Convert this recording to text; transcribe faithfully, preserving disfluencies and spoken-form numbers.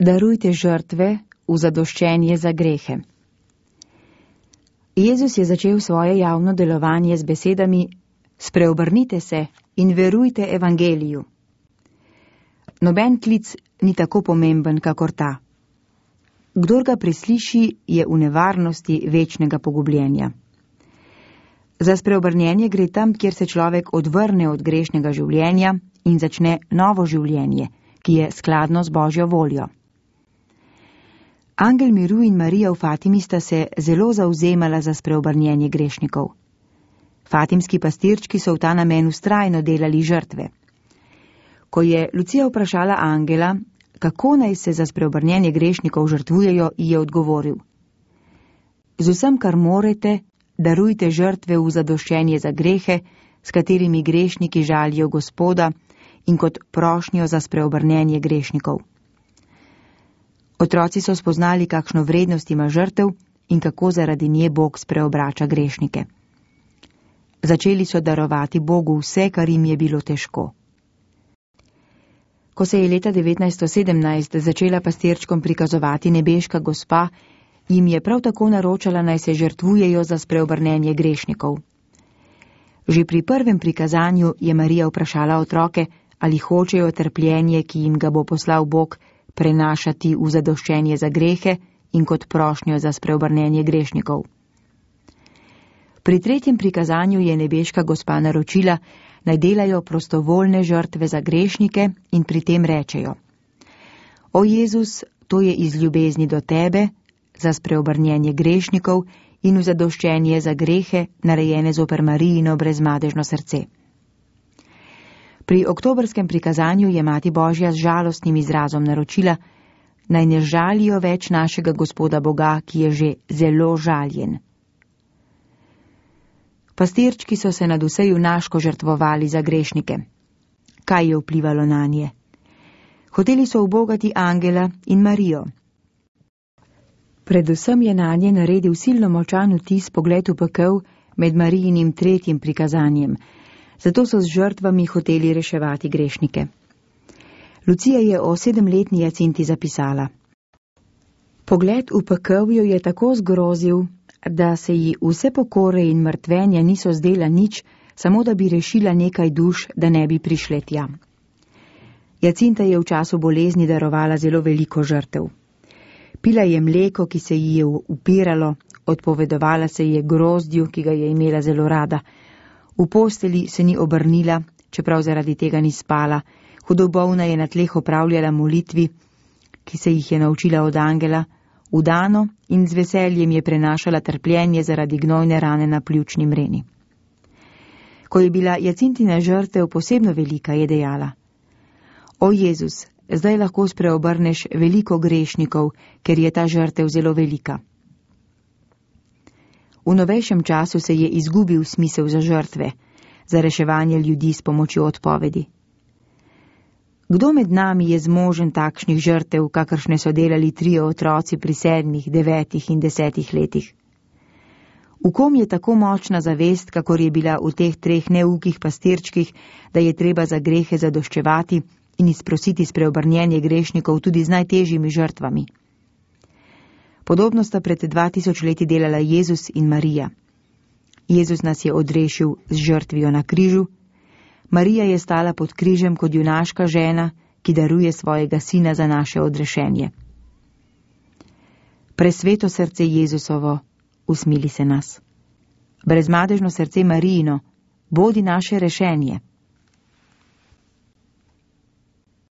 Darujte žrtve v zadoščenje za grehe. Jezus je začel svoje javno delovanje z besedami: Spreobrnite se in verujte evangeliju. Noben klic ni tako pomemben, kakor ta. Kdor ga presliši, je v nevarnosti večnega pogubljenja. Za spreobrnjenje gre tam, kjer se človek odvrne od grešnega življenja in začne novo življenje, ki je skladno z Božjo voljo. Angel miru in Marija v Fatimi sta se zelo zavzemala za spreobrnjenje grešnikov. Fatimski pastirčki so v ta namen vztrajno delali žrtve. Ko je Lucija vprašala angela, kako naj se za spreobrnjenje grešnikov žrtvujejo, je odgovoril: Z vsem, kar morete, darujte žrtve v zadoščenje za grehe, s katerimi grešniki žalijo Gospoda, in kot prošnjo za spreobrnjenje grešnikov. Otroci so spoznali, kakšno vrednost ima žrtev in kako zaradi nje Bog spreobrača grešnike. Začeli so darovati Bogu vse, kar jim je bilo težko. Ko se je leta devetnajststo sedemnajst začela pastirčkom prikazovati nebeška gospa, jim je prav tako naročala, naj se žrtvujejo za spreobrnjenje grešnikov. Že pri prvem prikazanju je Marija vprašala otroke, ali hočejo trpljenje, ki jim ga bo poslal Bog, prenašati v zadoščenje za grehe in kot prošnjo za spreobrnjenje grešnikov. Pri tretjem prikazanju je nebeška gospa naročila, naj delajo prostovoljne žrtve za grešnike in pri tem rečejo: O Jezus, to je iz ljubezni do tebe, za spreobrnjenje grešnikov in v zadoščenje za grehe, narejene zoper Marijino brezmadežno srce. Pri oktobrskem prikazanju je Mati Božja z žalostnim izrazom naročila, naj ne žalijo več našega Gospoda Boga, ki je že zelo žaljen. Pastirčki so se nadvse junaško žrtvovali za grešnike. Kaj je vplivalo nanje? Hoteli so ubogati angela in Marijo. Predvsem je nanje naredil silno močan vtis pogled v pekel med Marijinim tretjim prikazanjem, zato so z žrtvami hoteli reševati grešnike. Lucija je o sedemletni Jacinti zapisala: Pogled v pekel jo je tako zgrozil, da se ji vse pokore in mrtvenja niso zdela nič, samo da bi rešila nekaj duš, da ne bi prišle tja. Jacinta je v času bolezni darovala zelo veliko žrtev. Pila je mleko, ki se ji je upiralo, odpovedovala se je grozdju, ki ga je imela zelo rada. V posteli se ni obrnila, čeprav zaradi tega ni spala. Hudobovna je na tleh opravljala molitvi, ki se jih je naučila od angela, vdano in z veseljem je prenašala trpljenje zaradi gnojne rane na pljučni mreni. Ko je bila Jacintina žrtev posebno velika, je dejala: O Jezus, zdaj lahko spreobrneš veliko grešnikov, ker je ta žrtev zelo velika. V novejšem času se je izgubil smisel za žrtve, za reševanje ljudi s pomočjo odpovedi. Kdo med nami je zmožen takšnih žrtev, kakršne so delali trije otroci pri sedmih, devetih in desetih letih? V kom je tako močna zavest, kakor je bila v teh treh neukih pastirčkih, da je treba za grehe zadoščevati in izprositi spreobrnjenje grešnikov tudi z najtežjimi žrtvami? Podobno sta pred dva tisoč leti delala Jezus in Marija. Jezus nas je odrešil z žrtvijo na križu, Marija je stala pod križem kot junaška žena, ki daruje svojega sina za naše odrešenje. Presveto srce Jezusovo, usmili se nas. Brezmadežno srce Marijino, bodi naše rešenje.